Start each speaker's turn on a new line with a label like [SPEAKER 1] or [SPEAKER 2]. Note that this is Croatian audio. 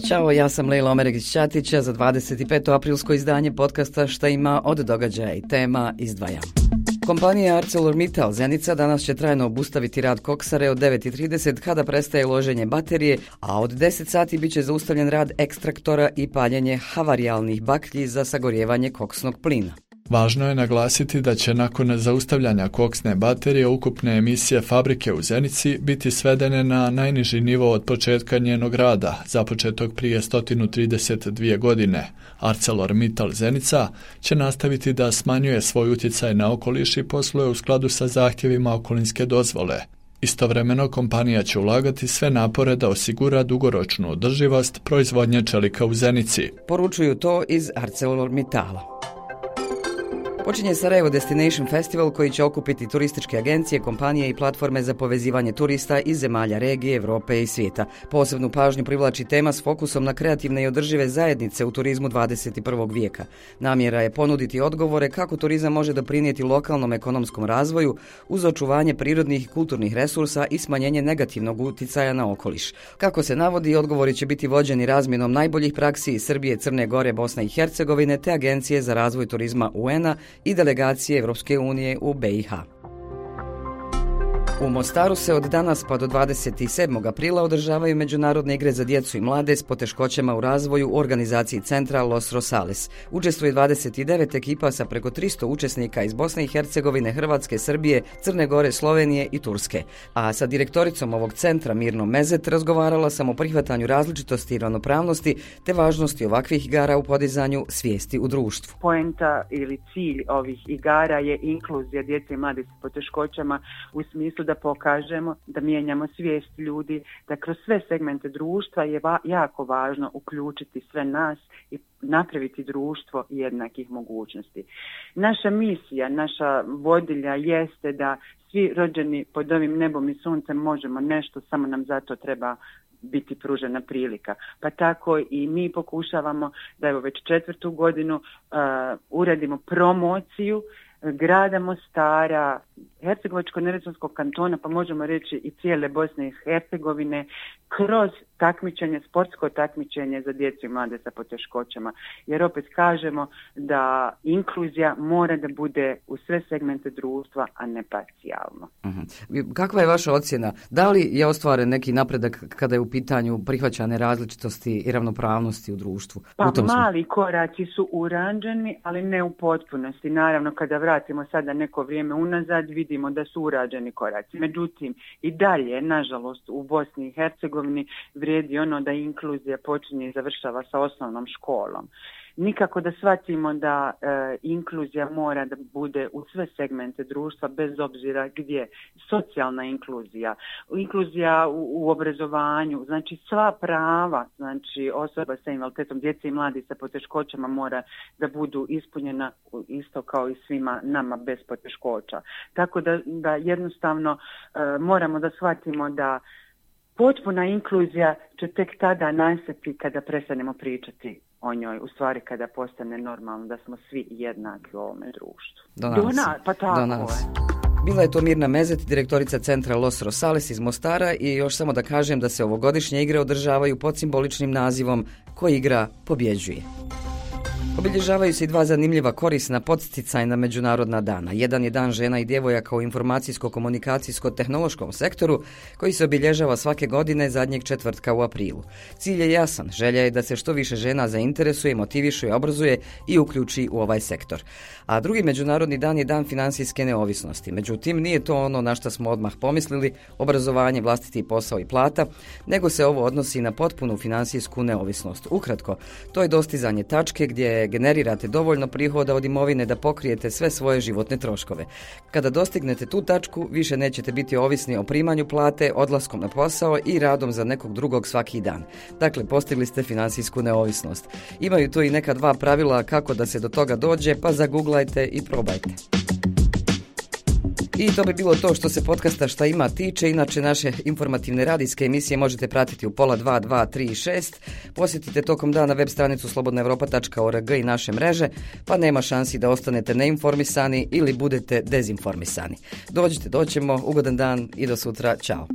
[SPEAKER 1] Ćao, ja sam Lejla Omeregić-Ćatić, za 25. aprilsko izdanje podcasta Šta ima od događaja i tema izdvajam. Kompanija ArcelorMittal Zenica danas će trajno obustaviti rad koksare od 9:30 kada prestaje loženje baterije, a od 10 sati bit će zaustavljen rad ekstraktora i paljenje havarijalnih baklji za sagorijevanje koksnog plina.
[SPEAKER 2] Važno je naglasiti da će nakon zaustavljanja koksne baterije ukupne emisije fabrike u Zenici biti svedene na najniži nivo od početka njenog rada, započetog prije 132 godine. ArcelorMittal Zenica će nastaviti da smanjuje svoj utjecaj na okoliš i posluje u skladu sa zahtjevima okolinske dozvole. Istovremeno kompanija će ulagati sve napore da osigura dugoročnu održivost proizvodnje čelika u Zenici.
[SPEAKER 1] Poručuju to iz ArcelorMittala. Počinje Sarajevo Destination Festival koji će okupiti turističke agencije, kompanije i platforme za povezivanje turista iz zemalja regije, Europe i svijeta. Posebnu pažnju privlači tema s fokusom na kreativne i održive zajednice u turizmu 21. vijeka. Namjera je ponuditi odgovore kako turizam može doprinijeti lokalnom ekonomskom razvoju uz očuvanje prirodnih i kulturnih resursa i smanjenje negativnog utjecaja na okoliš. Kako se navodi, odgovori će biti vođeni razmjenom najboljih praksi iz Srbije, Crne Gore, Bosne i Hercegovine te Agencije za razvoj turizma UN-a i delegacije Europske unije u BiH. U Mostaru se od danas pa do 27. aprila održavaju međunarodne igre za djecu i mlade s poteškoćama u razvoju u organizaciji centra Los Rosales. Učestvuje 29 ekipa sa preko 300 učesnika iz Bosne i Hercegovine, Hrvatske, Srbije, Crne Gore, Slovenije i Turske. A sa direktoricom ovog centra Mirnom Mezet razgovarala sam o prihvatanju različitosti i ravnopravnosti te važnosti ovakvih igara u podizanju svijesti u društvu.
[SPEAKER 3] Poenta ili cilj ovih igara je inkluzija djece i mladih s poteškoćama u smislu da pokažemo, da mijenjamo svijest ljudi, da kroz sve segmente društva je jako važno uključiti sve nas i napraviti društvo jednakih mogućnosti. Naša misija, naša vodilja jeste da svi rođeni pod ovim nebom i suncem možemo nešto, samo nam zato treba biti pružena prilika. Pa tako i mi pokušavamo da evo već 4. godinu uradimo promociju grada Mostara, Hercegovačko-neretvanskog kantona, pa možemo reći i cijele Bosne i Hercegovine, kroz takmičenje, sportsko takmičenje za djecu i mlade sa poteškoćama. Jer opet kažemo da inkluzija mora da bude u sve segmente društva, a ne parcijalno.
[SPEAKER 1] Kakva je vaša ocjena? Da li je ostvaren neki napredak kada je u pitanju prihvaćane različitosti i ravnopravnosti u društvu?
[SPEAKER 3] Pa mali koraci su urađeni, ali ne u potpunosti. Naravno, kada vratimo sada neko vrijeme unazad, vidimo da su urađeni koraci. Međutim, i dalje, nažalost, u Bosni i Hercegovini vrijedi ono da inkluzija počinje i završava sa osnovnom školom. Nikako da shvatimo da inkluzija mora da bude u sve segmente društva, bez obzira gdje. Socijalna inkluzija, inkluzija u obrazovanju, znači sva prava, znači osoba sa invaliditetom, djece i mladi sa poteškoćama mora da budu ispunjena isto kao i svima nama bez poteškoća. Tako da jednostavno moramo da shvatimo da potpuna inkluzija će tek tada nastati kada prestanemo pričati o njoj, u stvari kada postane normalno da smo svi jednaki u ovome društvu.
[SPEAKER 1] Do nas. Bila je to Mirna Mezet, direktorica centra Los Rosales iz Mostara i još samo da kažem da se ovogodišnje igre održavaju pod simboličnim nazivom Ko igra pobjeđuje. Obilježavaju se i 2 zanimljiva korisna podsticajna međunarodna dana. Jedan je Dan žena i djevojaka u informacijsko-komunikacijsko-tehnološkom sektoru koji se obilježava svake godine zadnjeg četvrtka u aprilu. Cilj je jasan, želja je da se što više žena zainteresuje, motiviše, obrazuje i uključi u ovaj sektor. A drugi međunarodni dan je Dan financijske neovisnosti. Međutim, nije to ono na što smo odmah pomislili, obrazovanje, vlastiti posao i plata, nego se ovo odnosi na potpunu financijsku neovisnost. Ukratko, to je dostizanje tačke gdje generirate dovoljno prihoda od imovine da pokrijete sve svoje životne troškove. Kada dostignete tu tačku, više nećete biti ovisni o primanju plate, odlaskom na posao i radom za nekog drugog svaki dan. Dakle, postigli ste financijsku neovisnost. Imaju tu i neka 2 pravila kako da se do toga dođe, pa zaguglajte i probajte. I to bi bilo to što se podcasta Šta ima tiče. Inače, naše informativne radijske emisije možete pratiti u 1:30, 2, 3 i 6. Posjetite tokom dana web stranicu slobodnaevropa.org i naše mreže, pa nema šansi da ostanete neinformisani ili budete dezinformisani. Dođite, doćemo, ugodan dan i do sutra. Ćao.